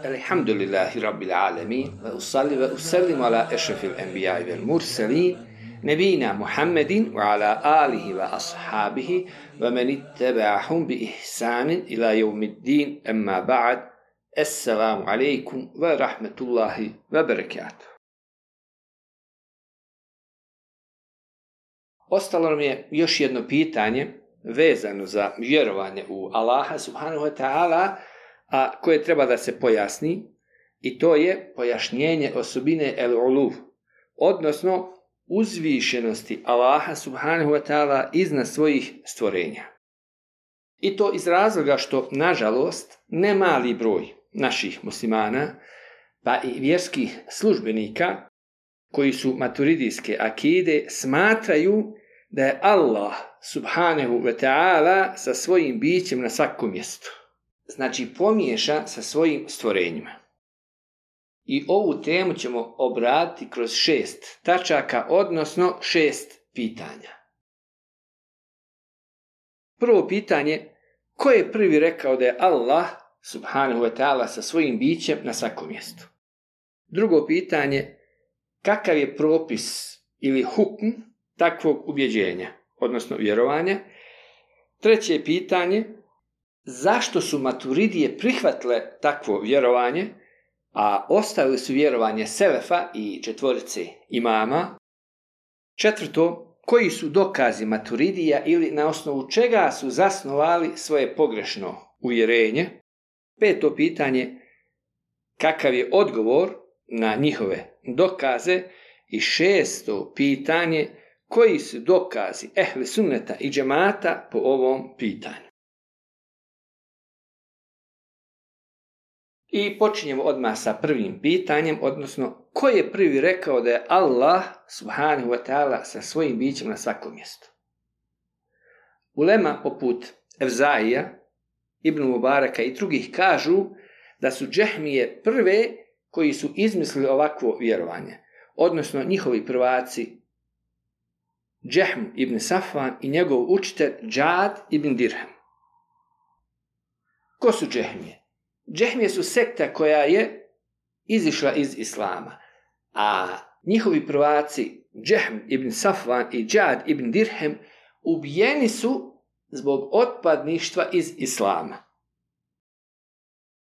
Alhamdulillahi Rabbil Alamin, wa usalli wa usallim ala ešrafil enbijai vel mursalin, nebina Muhammedin wa ala alihi wa ashabihi wa man ittaba'ahum bi ihsanin ila yawmiddin, amma ba'd. Assalamu alaikum wa rahmatullahi wa barakatuh. Ostalo nam je još jedno pitanje vezano za vjerovanje u Allaha subhanahu wa ta'ala, a koje treba da se pojasni, i to je pojašnjenje osobine el-uluv, odnosno uzvišenosti Allaha subhanahu wa ta'ala iznad svojih stvorenja. I to iz razloga što, nažalost, ne mali broj naših muslimana, pa i vjerskih službenika koji su maturidijske akide, smatraju da je Allah subhanahu wa ta'ala sa svojim bićem na svakom mjestu. Znači pomiješa sa svojim stvorenjima. I ovu temu ćemo obraditi kroz 6 tačaka, odnosno 6 pitanja. Prvo pitanje, ko je prvi rekao da je Allah subhanahu wa ta'ala sa svojim bićem na svakom mjestu? Drugo pitanje, kakav je propis ili hukm takvog ubjeđenja, odnosno vjerovanja? Treće pitanje, zašto su maturidije prihvatile takvo vjerovanje, a ostavili su vjerovanje selefa i 4 imama? Četvrto, koji su dokazi maturidija ili na osnovu čega su zasnovali svoje pogrešno uvjerenje? Peto pitanje, kakav je odgovor na njihove dokaze? I 6. pitanje, koji su dokazi ehli sunneta i džemata po ovom pitanju? I počinjemo odmah sa prvim pitanjem, odnosno ko je prvi rekao da je Allah subhanahu wa ta'ala sa svojim bićem na svakom mjestu? Ulema poput Evzaija, Ibn Mubaraka i drugih kažu da su džehmije prve koji su izmislili ovakvo vjerovanje, odnosno njihovi prvaci Džehm ibn Safvan i njegov učitelj Džad ibn Dirhem. Ko su džehmije? Džehmije su sekta koja je izišla iz islama, a njihovi prvaci Džehm ibn Safvan i Džad ibn Dirhem ubijeni su zbog otpadništva iz islama.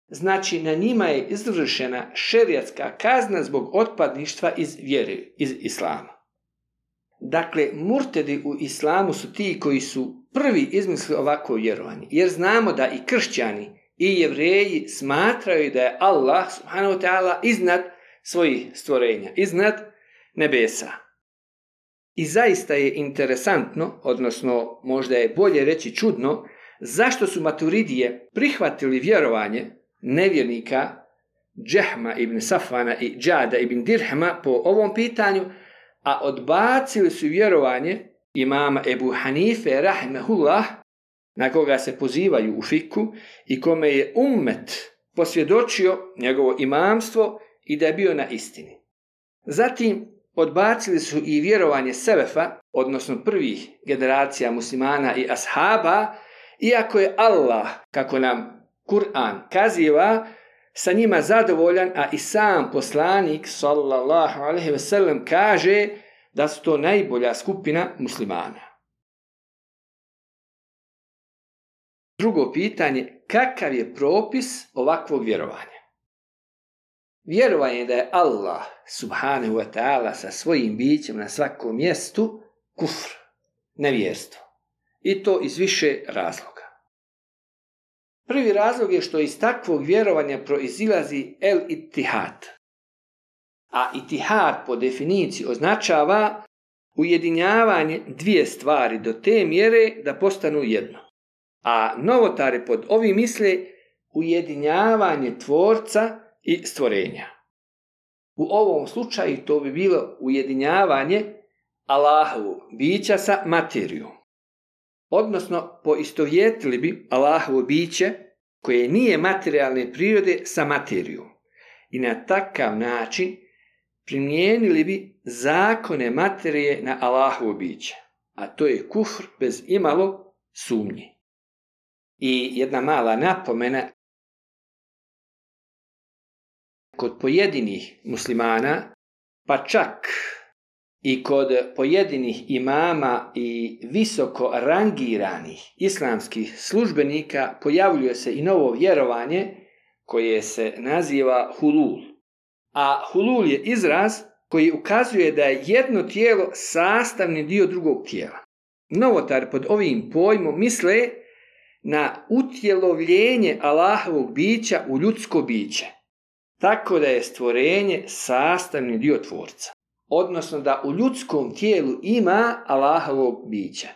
Znači, na njima je izvršena šerijatska kazna zbog otpadništva iz vjere, iz islama. Dakle, murtedi u islamu su ti koji su prvi izmislili ovakvo vjerovanje, jer znamo da i kršćani i jevreji smatraju da je Allah subhanahu wa ta'ala iznad svojih stvorenja, iznad nebesa. I zaista je interesantno, odnosno možda je bolje reći čudno, zašto su maturidije prihvatili vjerovanje nevjernika Džehma ibn Safvana i Džada ibn Dirhema po ovom pitanju, a odbacili su vjerovanje imama Ebu Hanife rahimehullah, na koga se pozivaju u fiku i kome je ummet posvjedočio njegovo imamstvo i da je bio na istini. Zatim odbacili su i vjerovanje selefa, odnosno prvih generacija muslimana i ashaba, iako je Allah, kako nam Kur'an kaziva, sa njima zadovoljan, a i sam poslanik sallallahu alejhi ve sellem kaže da su to najbolja skupina muslimana. Drugo pitanje, kakav je propis ovakvog vjerovanja? Vjerovanje da je Allah subhanahu wa ta'ala sa svojim bićem na svakom mjestu kufr, nevjerstvo. I to iz više razloga. Prvi razlog je što iz takvog vjerovanja proizilazi el-ittihad. A ittihad po definiciji označava ujedinjavanje dvije stvari do te mjere da postanu jedno. A novotari pod ovim misle ujedinjavanje tvorca i stvorenja. U ovom slučaju to bi bilo ujedinjavanje Allahovog bića sa materijom. Odnosno, poistovjetili bi Allahovo biće koje nije materijalne prirode sa materijom. I na takav način primijenili bi zakone materije na Allahovo biće. A to je kufr bez imalo sumnje. I jedna mala napomena, kod pojedinih muslimana, pa čak i kod pojedinih imama i visoko rangiranih islamskih službenika pojavljuje se i novo vjerovanje koje se naziva hulul. A hulul je izraz koji ukazuje da je jedno tijelo sastavni dio drugog tijela. Novotari pod ovim pojmom misle na utjelovljenje Allahovog bića u ljudsko biće, tako da je stvorenje sastavni dio tvorca. Odnosno da u ljudskom tijelu ima Allahovog bića.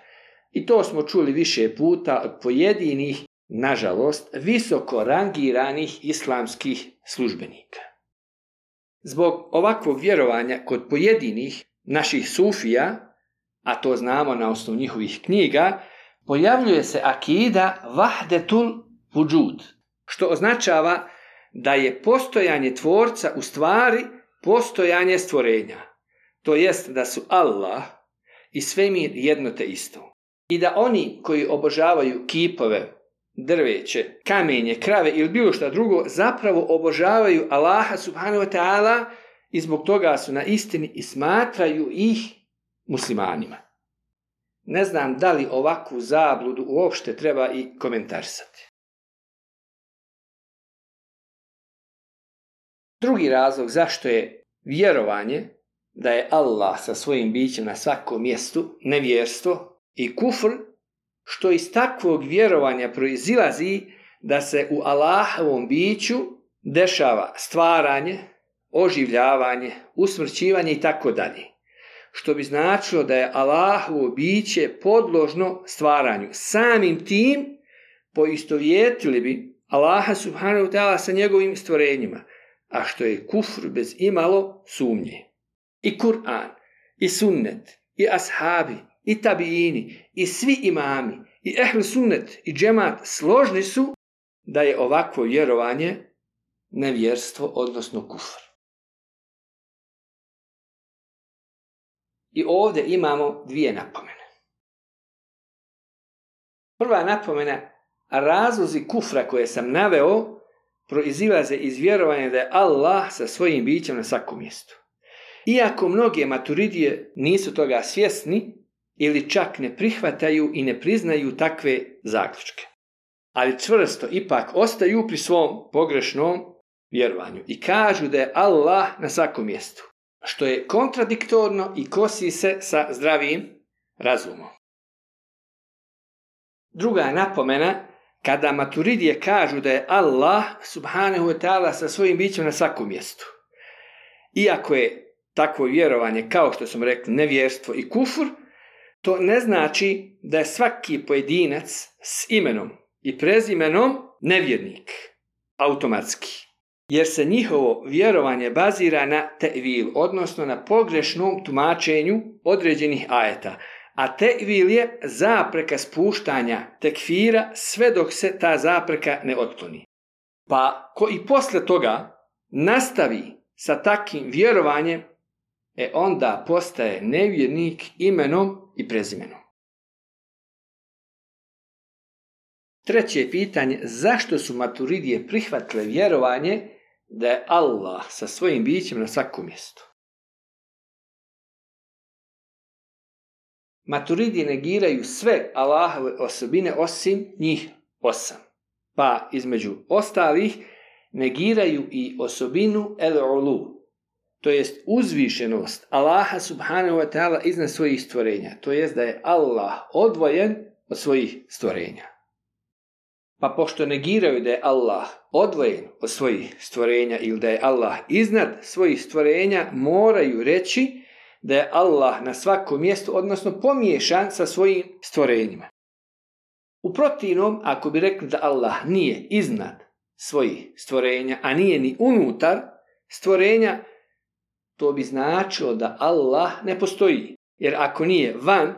I to smo čuli više puta od pojedinih, nažalost, visoko rangiranih islamskih službenika. Zbog ovakvog vjerovanja kod pojedinih naših sufija, a to znamo na osnovu njihovih knjiga, pojavljuje se akida vahdetul vudžud, što označava da je postojanje tvorca u stvari postojanje stvorenja. To jest da su Allah i svemir jedno te isto. I da oni koji obožavaju kipove, drveće, kamenje, krave ili bilo šta drugo, zapravo obožavaju Allaha subhanahu wa ta'ala i zbog toga su na istini i smatraju ih muslimanima. Ne znam da li ovakvu zabludu uopšte treba i komentarisati. Drugi razlog zašto je vjerovanje da je Allah sa svojim bićem na svakom mjestu nevjerstvo i kufr, što iz takvog vjerovanja proizilazi da se u Allahovom biću dešava stvaranje, oživljavanje, usmrćivanje i tako dalje. Što bi značilo da je Allahovo biće podložno stvaranju. Samim tim poistovjetili bi Allaha subhanahu wa ta'ala sa njegovim stvorenjima, a što je kufr bez imalo sumnje. I Kur'an, i sunnet, i ashabi, i tabiini, i svi imami, i ehl sunnet, i džemat složni su da je ovakvo vjerovanje nevjerstvo, odnosno kufr. I ovdje imamo dvije napomene. Prva napomena, razlozi kufra koje sam naveo proizilaze iz vjerovanja da je Allah sa svojim bićem na svakom mjestu. Iako mnoge maturidije nisu toga svjesni ili čak ne prihvataju i ne priznaju takve zaključke, ali čvrsto ipak ostaju pri svom pogrešnom vjerovanju i kažu da je Allah na svakom mjestu, što je kontradiktorno i kosi se sa zdravim razumom. Druga napomena, kada maturidije kažu da je Allah subhanahu wa ta'ala sa svojim bićem na svakom mjestu, iako je takvo vjerovanje, kao što smo rekli, nevjerstvo i kufur, to ne znači da je svaki pojedinac s imenom i prezimenom nevjernik, automatski. Jer se njihovo vjerovanje bazira na te'vil, odnosno na pogrešnom tumačenju određenih ajeta. A te'vil je zapreka spuštanja tekfira sve dok se ta zapreka ne otkloni. Pa ko i posle toga nastavi sa takvim vjerovanjem, onda postaje nevjernik imenom i prezimenom. Treće pitanje, zašto su maturidije prihvatile vjerovanje da je Allah sa svojim bićem na svakom mjestu? Maturidije negiraju sve Allahove osobine osim njih 8. Pa između ostalih negiraju i osobinu el-ulu, to jest uzvišenost Allaha subhanahu wa ta'ala iznad svojih stvorenja, to jest da je Allah odvojen od svojih stvorenja. Pa pošto negiraju da je Allah odvojen od svojih stvorenja ili da je Allah iznad svojih stvorenja, moraju reći da je Allah na svakom mjestu, odnosno pomiješan sa svojim stvorenjima. U protivnom, ako bi rekli da Allah nije iznad svojih stvorenja, a nije ni unutar stvorenja, to bi značilo da Allah ne postoji. Jer ako nije van,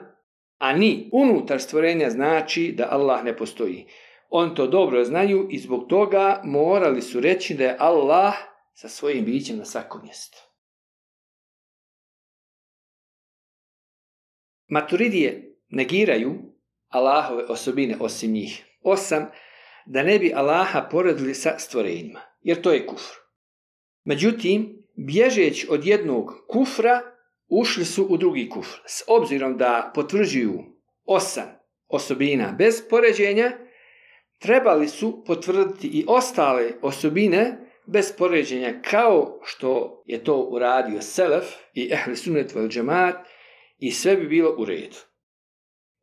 a ni unutar stvorenja, znači da Allah ne postoji. On to dobro znaju i zbog toga morali su reći da je Allah sa svojim bićem na svakom mjestu. Maturidije negiraju Allahove osobine osim njih 8, da ne bi Allaha poredili sa stvorenjima, jer to je kufr. Međutim, bježeći od jednog kufra, ušli su u drugi kufr. S obzirom da potvrđuju 8 osobina bez poređenja, trebali su potvrditi i ostale osobine bez poređenja, kao što je to uradio Selef i Ehli Sunnet vel Džemaat, i sve bi bilo u redu.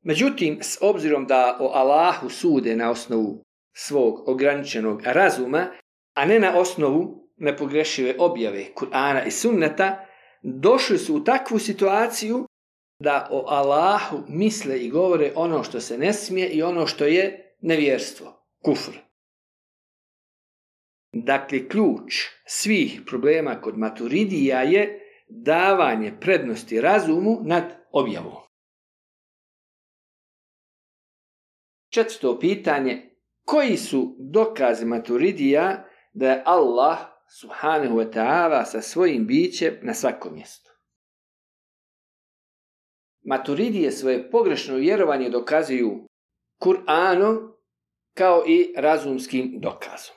Međutim, s obzirom da o Allahu sude na osnovu svog ograničenog razuma, a ne na osnovu nepogrešive objave Kur'ana i Sunneta, došli su u takvu situaciju da o Allahu misle i govore ono što se ne smije i ono što je nevjerstvo, kufr. Dakle, ključ svih problema kod Maturidija je davanje prednosti razumu nad objavom. 4. pitanje: koji su dokazi Maturidija da je Allah subhanahu wa ta'ala sa svojim bićem na svakom mjestu? Maturidije svoje pogrešno vjerovanje dokazuju Kur'anom kao i razumskim dokazom.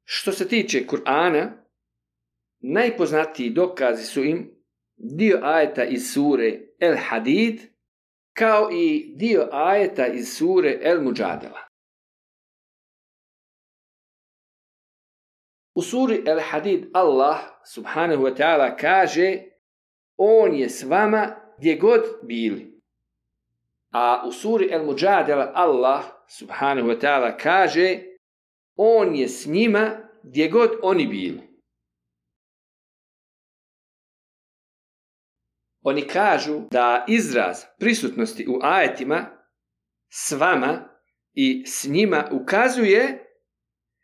Što se tiče Kur'ana, najpoznatiji dokazi su im dio ajeta iz sure El Hadid, kao i dio ajeta iz sure El Muđadela. U suri El Hadid Allah subhanahu wa ta'ala kaže: on je s vama gdje god bili. A u suri El Muđadela Allah subhanahu wa ta'ala kaže: on je s njima gdje god oni bili. Oni kažu da izraz prisutnosti u ajetima s vama i s njima ukazuje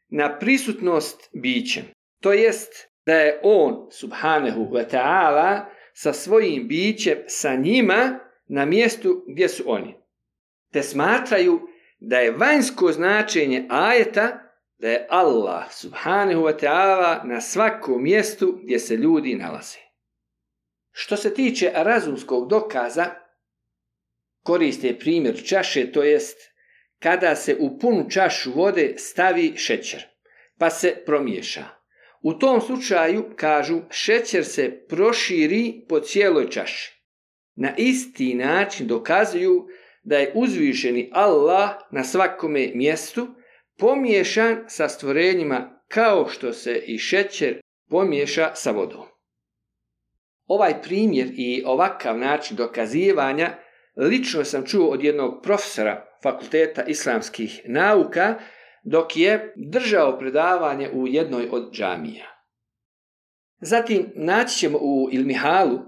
na prisutnost bićem. To jest da je on subhanahu wa ta'ala sa svojim bićem sa njima na mjestu gdje su oni. Te smatraju da je vanjsko značenje ajeta da je Allah subhanahu wa ta'ala na svakom mjestu gdje se ljudi nalaze. Što se tiče razumskog dokaza, koriste primjer čaše, to jest kada se u punu čašu vode stavi šećer, pa se promiješa. U tom slučaju, kažu, šećer se proširi po cijeloj čaši. Na isti način dokazuju da je uzvišeni Allah na svakome mjestu pomiješan sa stvorenjima kao što se i šećer pomiješa sa vodom. Ovaj primjer i ovakav način dokazivanja lično sam čuo od jednog profesora Fakulteta islamskih nauka dok je držao predavanje u jednoj od džamija. Zatim naći ćemo u Ilmihalu,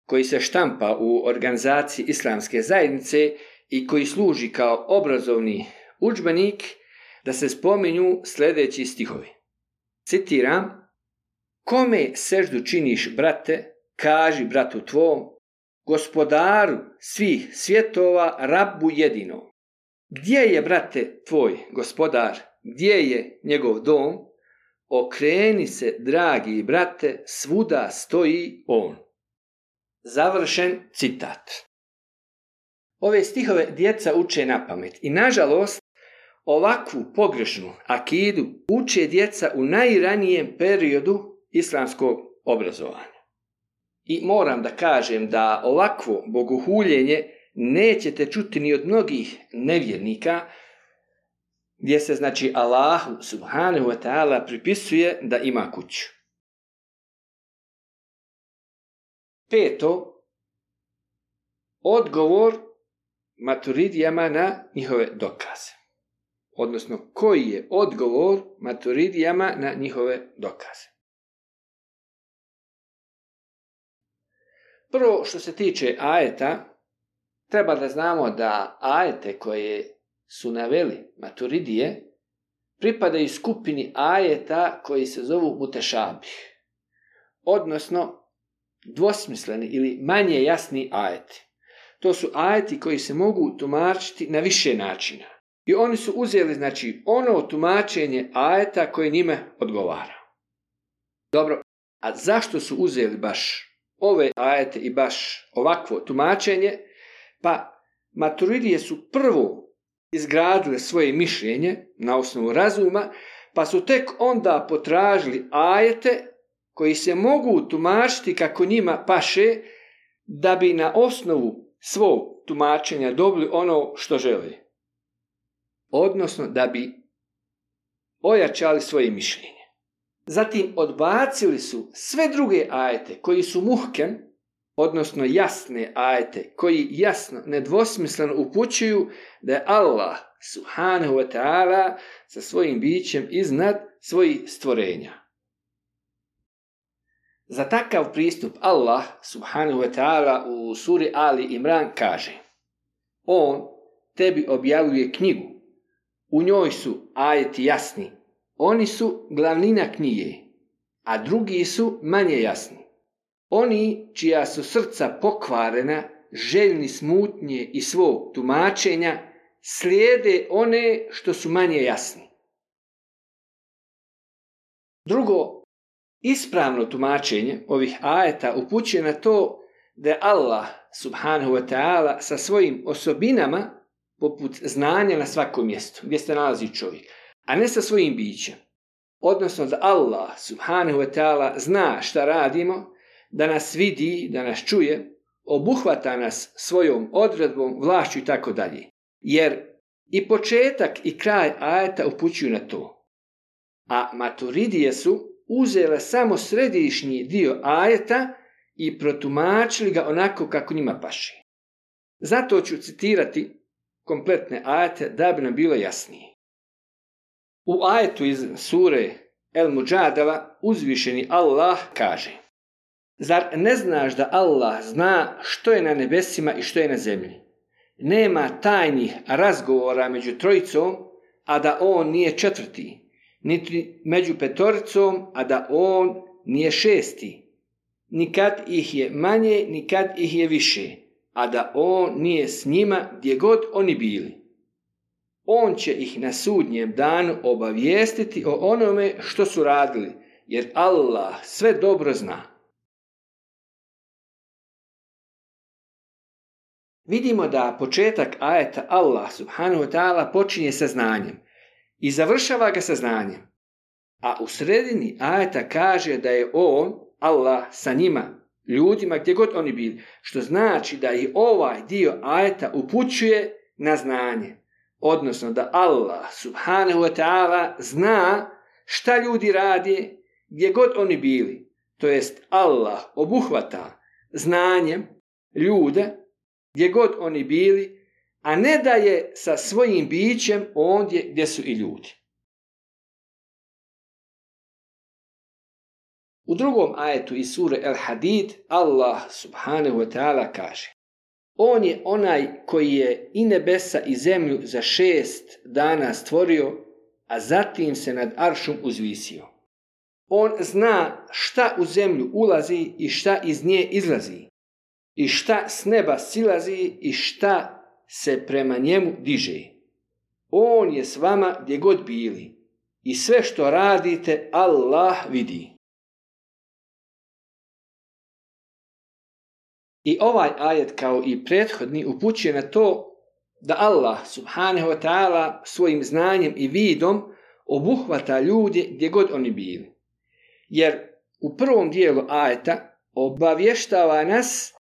koji se štampa u organizaciji Islamske zajednice i koji služi kao obrazovni udžbenik, da se spominju sljedeći stihovi. Citiram: kome seždu činiš, brate, kaži bratu tvom, gospodaru svih svjetova, Rabbu jedinom. Gdje je, brate, tvoj gospodar, gdje je njegov dom? Okreni se, dragi brate, svuda stoji on. Završen citat. Ove stihove djeca uče na pamet i nažalost ovakvu pogrešnu akidu uče djeca u najranijem periodu islamskog obrazovanja. I moram da kažem da ovakvo bogohuljenje nećete čuti ni od mnogih nevjernika, gdje se znači Allahu subhanahu wa ta'ala pripisuje da ima kuću. 5. Odgovor Maturidijama na njihove dokaze. Odnosno, koji je odgovor Maturidijama na njihove dokaze? Prvo, što se tiče ajeta, treba da znamo da ajete koje su naveli Maturidije pripadaju skupini ajeta koji se zovu mutešabih, odnosno dvosmisleni ili manje jasni ajeti. To su ajeti koji se mogu tumačiti na više načina. I oni su uzeli znači ono tumačenje ajeta koje njime odgovara. Dobro, a zašto su uzeli baš ove ajete i baš ovakvo tumačenje? Pa Maturidije su prvo izgradile svoje mišljenje na osnovu razuma, pa su tek onda potražili ajete koji se mogu tumačiti kako njima paše, da bi na osnovu svog tumačenja dobili ono što žele. Odnosno da bi ojačali svoje mišljenje. Zatim odbacili su sve druge ajete koji su muhkem, odnosno jasne ajete koji jasno, nedvosmisleno upućuju da je Allah subhanahu wa ta'ala sa svojim bićem iznad svojih stvorenja. Za takav pristup Allah subhanahu wa ta'ala u suri Ali Imran kaže: On tebi objavljuje knjigu, u njoj su ajeti jasni, oni su glavnina knjige, a drugi su manje jasni. Oni čija su srca pokvarena, željni smutnje i svog tumačenja, slijede one što su manje jasni. Drugo, ispravno tumačenje ovih ajeta upućuje na to da je Allah subhanahu wa ta'ala sa svojim osobinama poput znanja na svakom mjestu gdje se nalazi čovjek, a ne sa svojim bićem. Odnosno da Allah subhanahu wa ta'ala zna šta radimo, da nas vidi, da nas čuje, obuhvata nas svojom odredbom, vlašću i tako dalje. Jer i početak i kraj ajeta upućuju na to. A Maturidije su uzele samo središnji dio ajeta i protumačili ga onako kako njima paše. Zato ću citirati kompletne ajete da bi nam bilo jasnije. U ajetu iz sure El Muđadala uzvišeni Allah kaže: Zar ne znaš da Allah zna što je na nebesima i što je na zemlji? Nema tajnih razgovora među trojicom, a da on nije četvrti, niti među petoricom, a da on nije šesti. Nikad ih je manje, nikad ih je više, a da on nije s njima gdje god oni bili. On će ih na sudnjem danu obavijestiti o onome što su radili, jer Allah sve dobro zna. Vidimo da početak ajeta Allah subhanahu wa ta'ala počinje sa znanjem i završava ga sa znanjem. A u sredini ajeta kaže da je on, Allah, sa njima, ljudima gdje god oni bili, što znači da i ovaj dio ajeta upućuje na znanje. Odnosno da Allah subhanahu wa ta'ala zna šta ljudi radi gdje god oni bili. To jest Allah obuhvata znanjem ljude gdje god oni bili, a ne da je sa svojim bićem ondje gdje su i ljudi. U drugom ajetu iz sure El Hadid Allah subhanahu wa ta'ala kaže: On je onaj koji je i nebesa i zemlju za 6 dana stvorio, a zatim se nad aršom uzvisio. On zna šta u zemlju ulazi i šta iz nje izlazi, i šta s neba silazi i šta se prema njemu diže. On je s vama gdje god bili i sve što radite Allah vidi. I ovaj ajet kao i prethodni upućuje na to da Allah subhanahu wa ta'ala svojim znanjem i vidom obuhvata ljude gdje god oni bili. Jer u prvom dijelu ajeta obavještava nas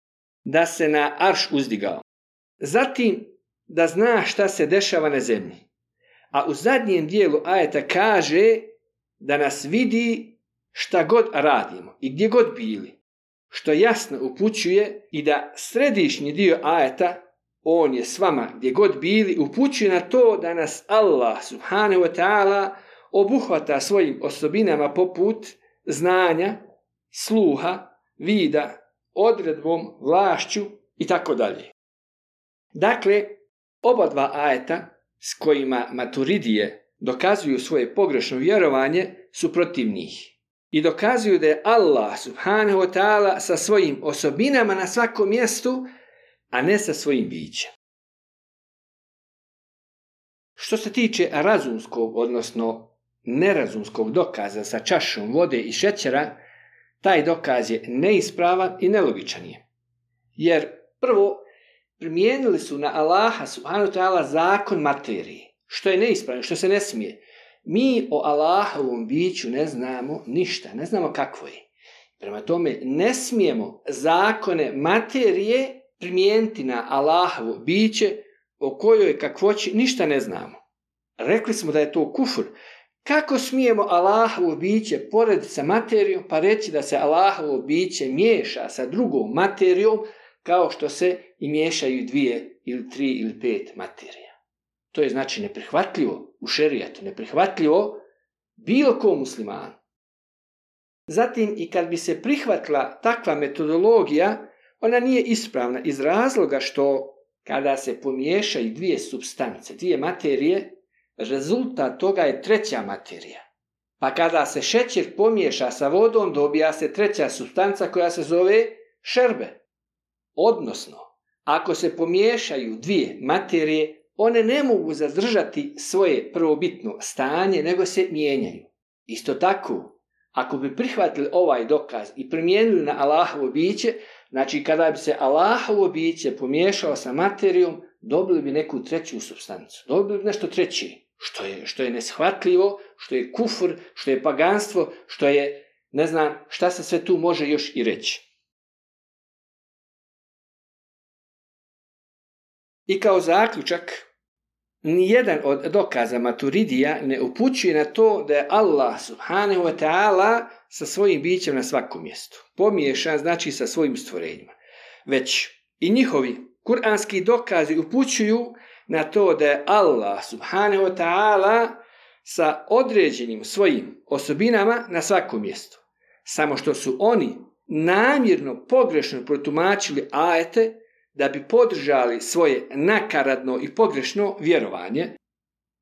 da se na arš uzdigao. Zatim da zna šta se dešava na zemlji. A u zadnjem dijelu ajeta kaže da nas vidi šta god radimo i gdje god bili. Što jasno upućuje i da središnji dio ajeta, on je s vama gdje god bili, upućuje na to da nas Allah subhanahu wa ta'ala obuhvata svojim osobinama poput znanja, sluha, vida, odredbom, vlašću i tako dalje. Dakle, oba dva ajeta s kojima Maturidije dokazuju svoje pogrešno vjerovanje su protiv njih. I dokazuju da je Allah subhanahu wa ta'ala sa svojim osobinama na svakom mjestu, a ne sa svojim bićem. Što se tiče razumskog, odnosno nerazumskog dokaza sa čašom vode i šećera, taj dokaz je neispravan i nelogičan je. Jer prvo, primijenili su na Allaha subhanahu wa ta'ala zakon materije, što je neispravno, što se ne smije. Mi o Allahovom biću ne znamo ništa, ne znamo kakvo je. Prema tome, ne smijemo zakone materije primijeniti na Allahovo biće o kojoj kakvoći ništa ne znamo. Rekli smo da je to kufr. Kako smijemo Allahovo biće porediti sa materijom pa reći da se Allahovo biće miješa sa drugom materijom kao što se i miješaju 2 ili 3 ili 5 materija? To je znači neprihvatljivo u šerijatu, neprihvatljivo bilo kom muslimanu. Zatim i kad bi se prihvatila takva metodologija, ona nije ispravna iz razloga što kada se pomiješaju 2 supstance, 2 materije, rezultat toga je 3. materija. Pa kada se šećer pomiješa sa vodom, dobija se 3. supstanca koja se zove šerbe. Odnosno, ako se pomiješaju 2 materije, one ne mogu zadržati svoje prvobitno stanje, nego se mijenjaju. Isto tako, ako bi prihvatili ovaj dokaz i primijenili na Allahovo biće, znači kada bi se Allahovo biće pomiješalo sa materijom, dobili bi neku 3. supstancu, dobili bi nešto 3. Što je neshvatljivo, što je kufr, što je paganstvo, što je, ne znam, šta se sve tu može još i reći. I kao zaključak, nijedan od dokaza Maturidija ne upućuje na to da je Allah subhanahu wa ta'ala sa svojim bićem na svakom mjestu. Pomiješan znači sa svojim stvorenjima. Već i njihovi kuranski dokazi upućuju na to da je Allah subhanahu wa ta'ala sa određenim svojim osobinama na svakom mjestu. Samo što su oni namjerno pogrešno protumačili ajete da bi podržali svoje nakaradno i pogrešno vjerovanje,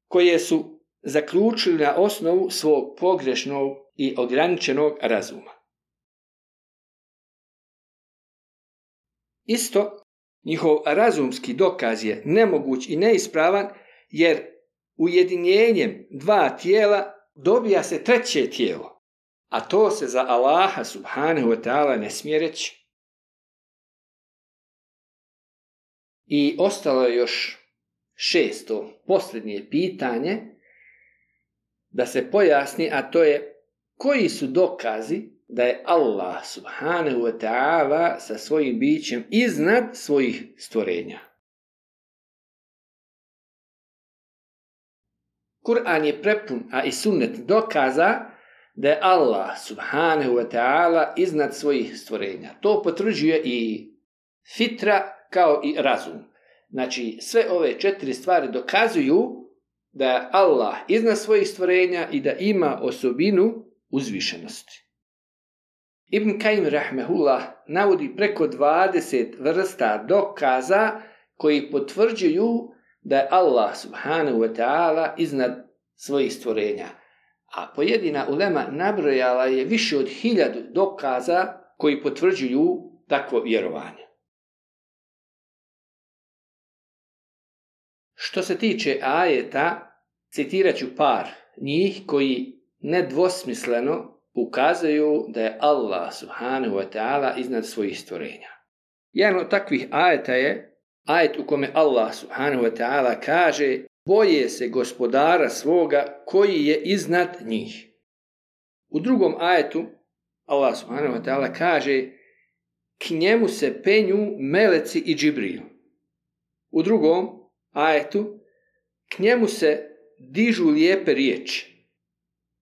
koje su zaključili na osnovu svog pogrešnog i ograničenog razuma. Isto, njihov razumski dokaz je nemoguć i neispravan, jer ujedinjenjem 2 tijela dobija se 3. tijelo, a to se za Allaha subhanahu wa ta'ala ne smije reći. I ostalo je još 6. posljednje pitanje da se pojasni, a to je koji su dokazi da je Allah subhanahu wa ta'ala sa svojim bićem iznad svojih stvorenja. Kur'an je prepun, a i sunnet dokaza da je Allah subhanahu wa ta'ala iznad svojih stvorenja. To potvrđuje i fitra kao i razum. Znači, sve ove 4 stvari dokazuju da je Allah iznad svojih stvorenja i da ima osobinu uzvišenosti. Ibn Kajim rahmehullah navodi preko 20 vrsta dokaza koji potvrđuju da je Allah subhanahu wa ta'ala iznad svojih stvorenja. A pojedina ulema nabrojala je više od 1000 dokaza koji potvrđuju takvo vjerovanje. Što se tiče ajeta, citirat ću par njih koji nedvosmisleno ukazuju da je Allah subhanahu wa ta'ala iznad svojih stvorenja. Jedan od takvih ajeta je ajet u kome Allah subhanahu wa ta'ala kaže: boje se gospodara svoga koji je iznad njih. U drugom ajetu Allah subhanahu wa ta'ala kaže: k njemu se penju meleci i Džibril. U drugom ajetu k njemu se dižu lijepe riječi.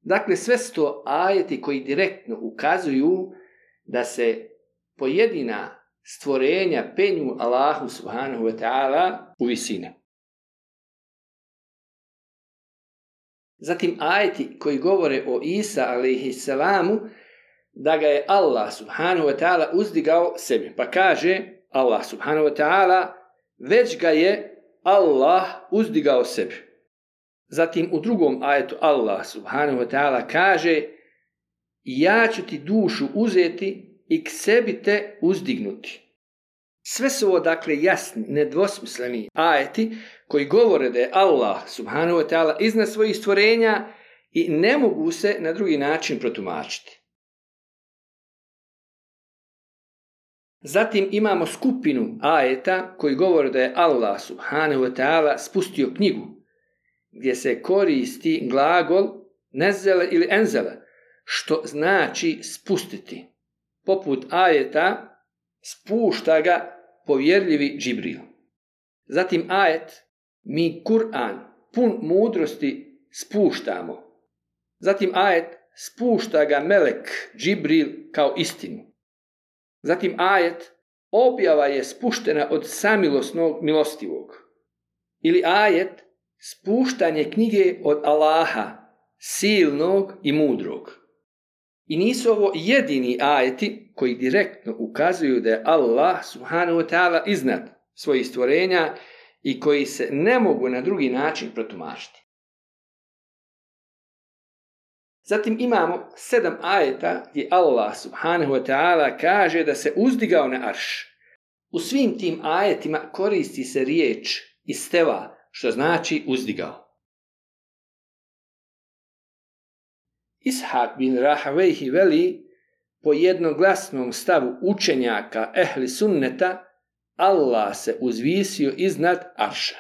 Dakle, sve su to ajeti koji direktno ukazuju da se pojedina stvorenja penju Allahu subhanahu wa ta'ala u visine. Zatim ajeti koji govore o Isa alejhisselamu, da ga je Allah subhanahu wa ta'ala uzdigao sebi. Pa kaže Allah subhanahu wa ta'ala: već ga je Allah uzdigao sebi. Zatim u drugom ajetu Allah subhanahu wa ta'ala kaže: ja ću ti dušu uzeti i k sebi te uzdignuti. Sve su ovo dakle jasni, nedvosmisleni ajeti koji govore da je Allah subhanahu wa ta'ala iznad svojih stvorenja i ne mogu se na drugi način protumačiti. Zatim imamo skupinu ajeta koji govore da je Allah subhanahu wa ta'ala spustio knjigu, gdje se koristi glagol nezele ili enzele, što znači spustiti. Poput ajeta spušta ga povjerljivi Džibril. Zatim ajet mi Kur'an pun mudrosti spuštamo. Zatim ajet spušta ga melek Džibril kao istinu. Zatim ajet objava je spuštena od samilosnog milostivog. Ili ajet spuštanje knjige od Allaha, silnog i mudrog. I nisu ovo jedini ajeti koji direktno ukazuju da je Allah subhanahu wa ta'ala iznad svojih stvorenja i koji se ne mogu na drugi način protumačiti. Zatim imamo 7 ajeta gdje Allah subhanahu wa ta'ala kaže da se uzdigao na arš. U svim tim ajetima koristi se riječ isteva, što znači uzdigao. Ishak bin Rahawejhi veli, po jednoglasnom stavu učenjaka ehli sunneta, Allah se uzvisio iznad arša.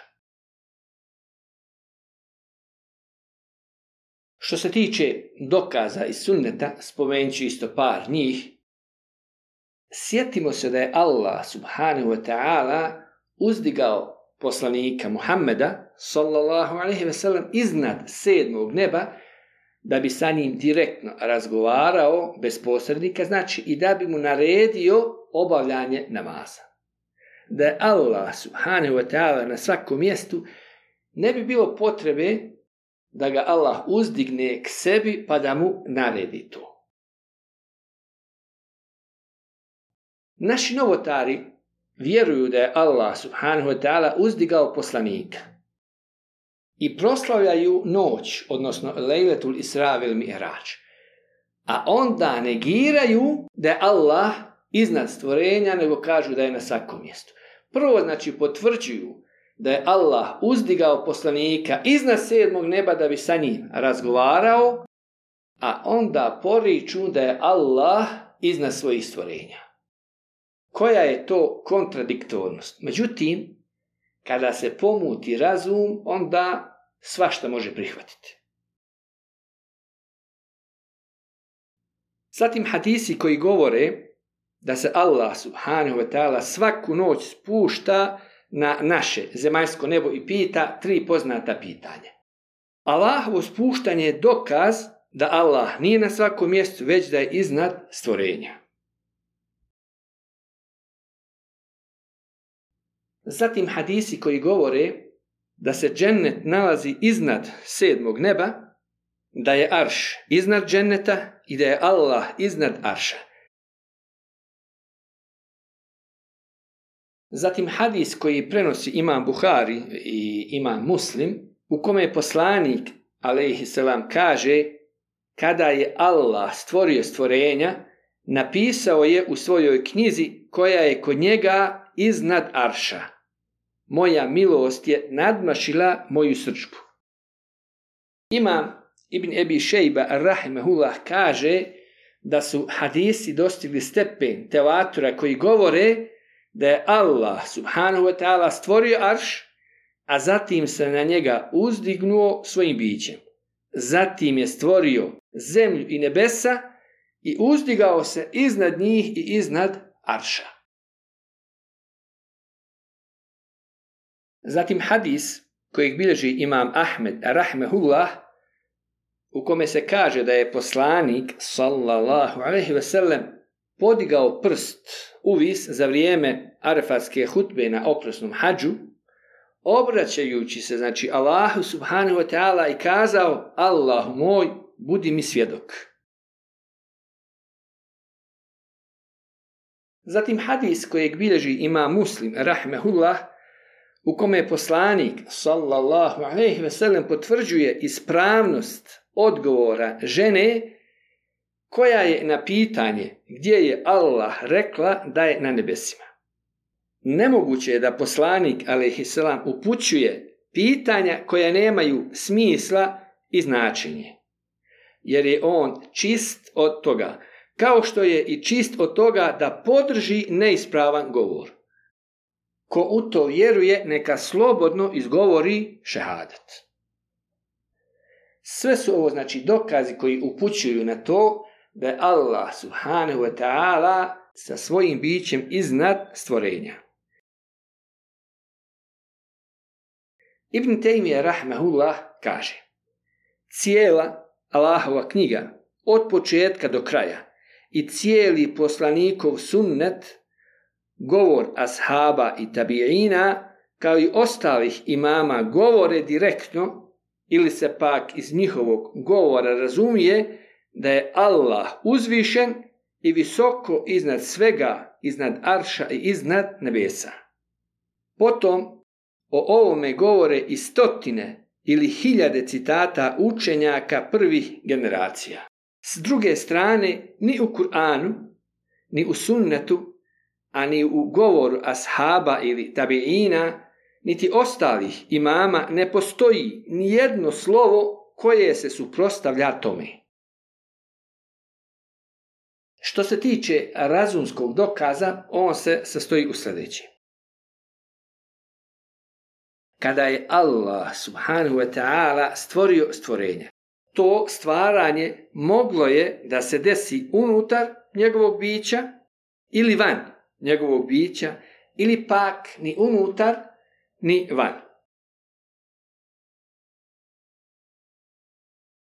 Što se tiče dokaza iz sunneta, spomenut ću isto par njih. Sjetimo se da je Allah subhanahu wa ta'ala uzdigao poslanika Muhammeda sallallahu alejhi ve sellem iznad 7. neba da bi sa njim direktno razgovarao bez posrednika, znači i da bi mu naredio obavljanje namaza. Da je Allah subhanahu wa ta'ala na svakom mjestu, ne bi bilo potrebe da ga Allah uzdigne k sebi pa da mu naredi to. Naši novotari vjeruju da je Allah subhanahu wa ta'ala uzdigao poslanika i proslavljaju noć, odnosno Lejletul Isra vel Mi'rađ, a onda negiraju da je Allah iznad stvorenja, nego kažu da je na svakom mjestu. Prvo, znači, potvrđuju da je Allah uzdigao poslanika iznad 7. neba da bi sa njim razgovarao, a onda poriču da je Allah iznad svojih stvorenja. Koja je to kontradiktornost? Međutim, kada se pomuti razum, onda svašta može prihvatiti. Zatim hadisi koji govore da se Allah subhanahu wa ta'ala svaku noć spušta na naše zemaljsko nebo i pita 3 poznata pitanja. Allahovo spuštanje je dokaz da Allah nije na svakom mjestu, već da je iznad stvorenja. Zatim hadisi koji govore da se džennet nalazi iznad 7. neba, da je arš iznad dženneta i da je Allah iznad arša. Zatim hadis koji prenosi imam Buhari i imam Muslim, u kome je poslanik alejhi selam kaže: kada je Allah stvorio stvorenja, napisao je u svojoj knjizi koja je kod njega iznad arša: moja milost je nadmašila moju srdžbu. Imam Ibn Ebi Šejba rahimehullah kaže da su hadisi dostigli stepen tevatura koji govore da je Allah subhanahu wa ta'ala stvorio arš, a zatim se na njega uzdignuo svojim bićem. Zatim je stvorio zemlju i nebesa i uzdigao se iznad njih i iznad arša. Zatim hadis kojeg bilježi imam Ahmed rahmehullah, u kome se kaže da je poslanik sallallahu alejhi ve sellem podigao prst uvis za vrijeme arefatske hutbe na oprosnom hadžu, obraćajući se, znači, Allahu subhanahu wa ta'ala i kazao: Allahu moj, budi mi svjedok. Zatim hadis kojeg bilježi imam Muslim rahmehullah, u kome je poslanik sallallahu alejhi ve sellem potvrđuje ispravnost odgovora žene koja je na pitanje gdje je Allah rekla da je na nebesima. Nemoguće je da poslanik alejhi selam upućuje pitanja koja nemaju smisla i značenje, jer je on čist od toga kao što je i čist od toga da podrži neispravan govor. Ko u to vjeruje, neka slobodno izgovori šehadet. Sve su ovo znači dokazi koji upućuju na to da je Allah subhanahu wa ta'ala sa svojim bićem iznad stvorenja. Ibn Taymije rahmehullah kaže: cijela Allahova knjiga od početka do kraja i cijeli poslanikov sunnet, govor ashaba i tabiina, kao i ostalih imama, govore direktno ili se pak iz njihovog govora razumije da je Allah uzvišen i visoko iznad svega, iznad arša i iznad nebesa. Potom o ovome govore i stotine ili hiljade citata učenjaka prvih generacija. S druge strane, ni u Kur'anu, ni u sunnetu, a ni u govoru ashaba ili tabiina, niti ostalih imama ne postoji ni jedno slovo koje se suprotstavlja tome. Što se tiče razumskog dokaza, on se sastoji u sljedećem. Kada je Allah subhanahu wa ta'ala stvorio stvorenje, to stvaranje moglo je da se desi unutar njegovog bića ili van njegovog bića, ili pak ni unutar ni van.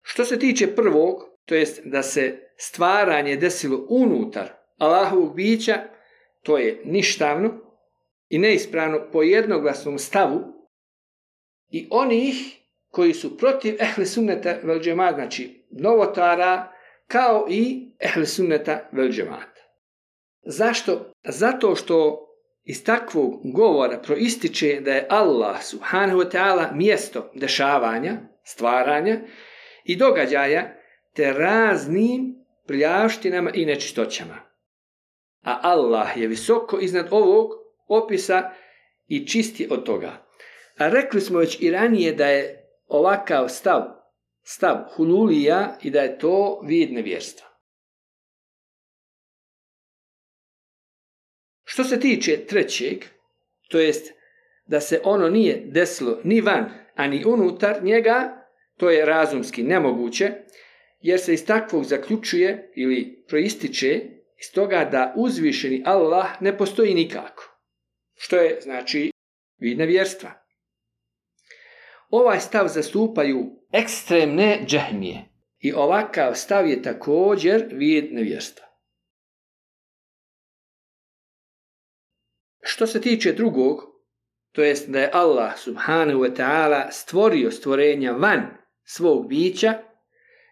Što se tiče prvog, to jest da se stvaranje desilo unutar Allahovog bića, to je ništavno i neispravno po jednoglasnom stavu i onih koji su protiv ehli sunneta vel džemaat, znači novotara, kao i ehli sunneta vel džemaat. Zašto? Zato što iz takvog govora proističe da je Allah subhanahu wa ta'ala mjesto dešavanja, stvaranja i događaja te raznim prljavštinama i nečistoćama. A Allah je visoko iznad ovog opisa i čisti od toga. A rekli smo već i ranije da je ovakav stav hululija i da je to vid nevjerstva. Što se tiče trećeg, to jest da se ono nije desilo ni van, a ni unutar njega, to je razumski nemoguće, jer se iz takvog zaključuje ili proističe iz toga da uzvišeni Allah ne postoji nikako, što je znači vid nevjerstva. Ovaj stav zastupaju ekstremne džehmije i ovakav stav je također vid nevjerstva. Što se tiče drugog, to jest da je Allah subhanahu wa ta'ala stvorio stvorenja van svog bića,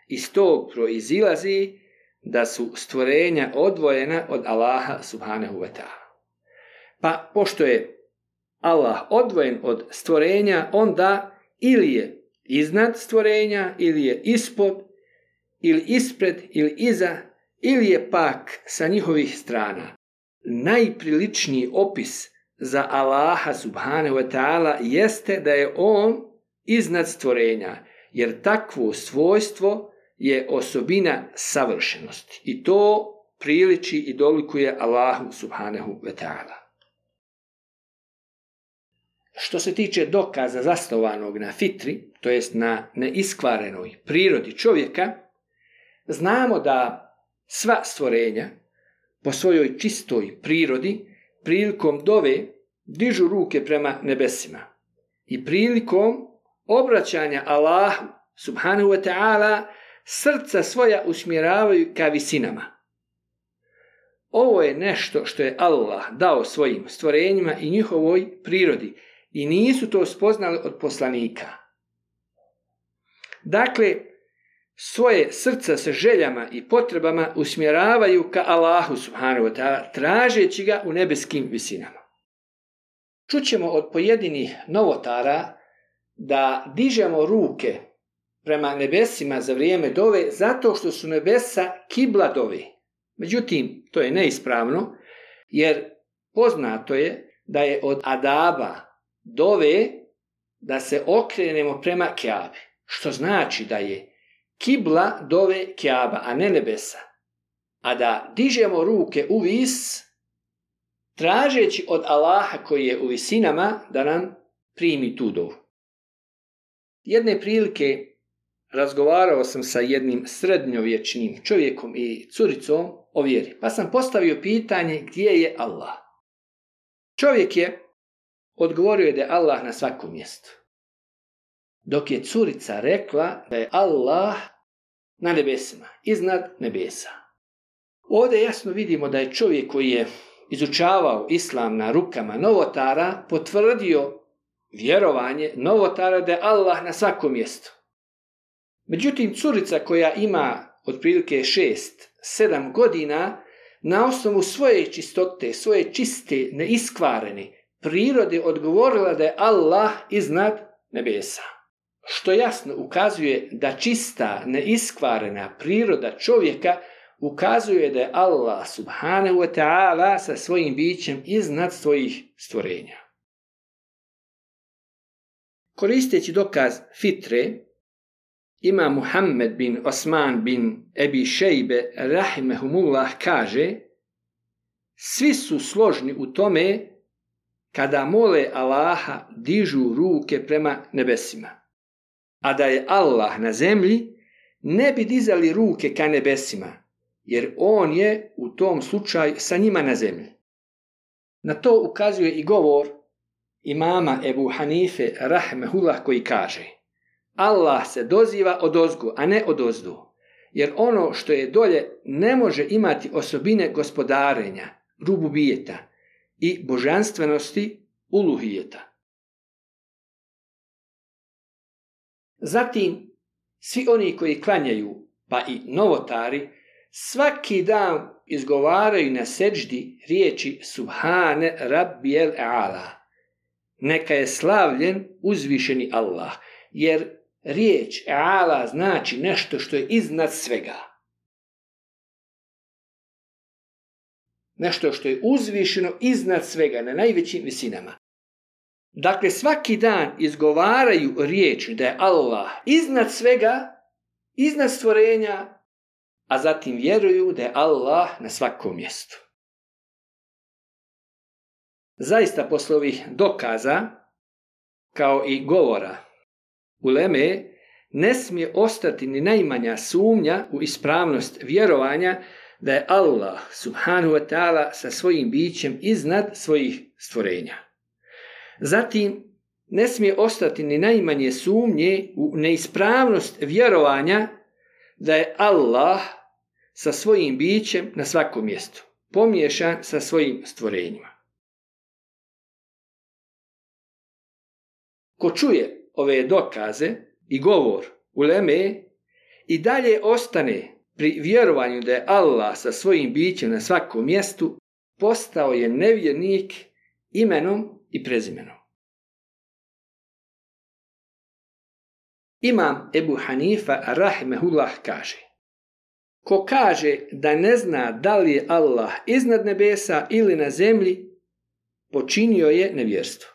iz tog proizilazi da su stvorenja odvojena od Allaha subhanahu wa ta'ala. Pa pošto je Allah odvojen od stvorenja, onda ili je iznad stvorenja, ili je ispod, ili ispred, ili iza, ili je pak sa njihovih strana. Najpriličniji opis za Allaha subhanahu wa ta'ala jeste da je on iznad stvorenja, jer takvo svojstvo je osobina savršenosti i to priliči i dolikuje Allahu subhanahu wa ta'ala. Što se tiče dokaza zasnovanog na fitri, to jest na neiskvarenoj prirodi čovjeka, znamo da sva stvorenja po svojoj čistoj prirodi prilikom dove dižu ruke prema nebesima i prilikom obraćanja Allahu subhanahu wa ta'ala srca svoja usmjeravaju ka visinama. Ovo je nešto što je Allah dao svojim stvorenjima i njihovoj prirodi i nisu to spoznali od poslanika. Dakle, svoje srca sa željama i potrebama usmjeravaju ka Allahu subhanahu wa ta'ala, tražeći ga u nebeskim visinama. Čućemo od pojedinih novotara da dižemo ruke prema nebesima za vrijeme dove zato što su nebesa kibla dove. Međutim, to je neispravno, jer poznato je da je od adaba dove da se okrenemo prema Kjabi, što znači da je kibla dove Kjaba, a ne nebesa. a da dižemo ruke u vis, tražeći od Allaha koji je u visinama da nam primi tu dovu. Jedne prilike razgovarao sam sa jednim srednjovječnim čovjekom i curicom o vjeri, pa sam postavio pitanje gdje je Allah. Čovjek je odgovorio da je Allah na svakom mjestu, dok je curica rekla da je Allah na nebesima, iznad nebesa. Ovdje jasno vidimo da je čovjek koji je izučavao islam na rukama novotara potvrdio vjerovanje novotara da je Allah na svakom mjestu. Međutim, curica koja ima otprilike 6-7 godina, na osnovu svoje čistote, svoje čiste, neiskvarene prirode odgovorila da je Allah iznad nebesa. Što jasno ukazuje da čista, neiskvarena priroda čovjeka ukazuje da je Allah subhanahu wa ta'ala sa svojim bićem iznad svojih stvorenja. Koristeći dokaz fitre, Imam Muhammed bin Osman bin Ebi Šejbe rahimehumullah kaže: svi su složni u tome kada mole Allaha dižu ruke prema nebesima, a da je Allah na zemlji ne bi dizali ruke ka nebesima, jer on je u tom slučaju sa njima na zemlji. Na to ukazuje i govor imama Ebu Hanife rahimehullah koji kaže: Allah se doziva odozgo, a ne odozdo, jer ono što je dolje ne može imati osobine gospodarenja, rububijeta i božanstvenosti, uluhijeta. Zatim, svi oni koji klanjaju, pa i novotari, svaki dan izgovaraju na seđdi riječi Subhane Rabbijel A'ala. Neka je slavljen uzvišeni Allah, jer riječ A'ala znači nešto što je iznad svega. Nešto što je uzvišeno iznad svega, na najvećim visinama. Dakle, svaki dan izgovaraju riječ da je Allah iznad svega, iznad stvorenja, a zatim vjeruju da je Allah na svakom mjestu. Zaista posle ovih dokaza, kao i govora uleme, ne smije ostati ni najmanja sumnja u ispravnost vjerovanja da je Allah subhanahu wa ta'ala sa svojim bićem iznad svojih stvorenja. Zatim, ne smije ostati ni najmanje sumnje u neispravnost vjerovanja da je Allah sa svojim bićem na svakom mjestu, pomiješan sa svojim stvorenjima. Ko čuje ove dokaze i govor uleme i dalje ostane pri vjerovanju da je Allah sa svojim bićem na svakom mjestu, postao je nevjernik imenom i prezimenom. Imam Ebu Hanifa rahimehullah kaže: ko kaže da ne zna da li je Allah iznad nebesa ili na zemlji, počinio je nevjerstvo.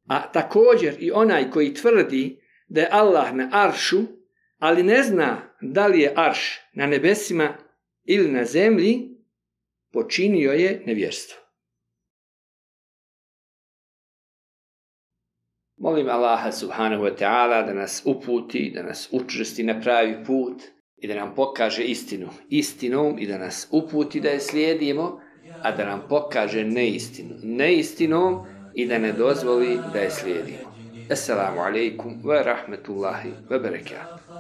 A također i onaj koji tvrdi da je Allah na aršu, ali ne zna da li je arš na nebesima ili na zemlji, počinio je nevjerstvo. Molim Allaha subhanahu wa ta'ala da nas uputi, da nas učvrsti na pravi put i da nam pokaže istinu istinom i da nas uputi da je slijedimo, a da nam pokaže neistinu neistinom i da ne dozvoli da je slijedimo. Assalamu alaikum wa rahmatullahi wa barakatuh.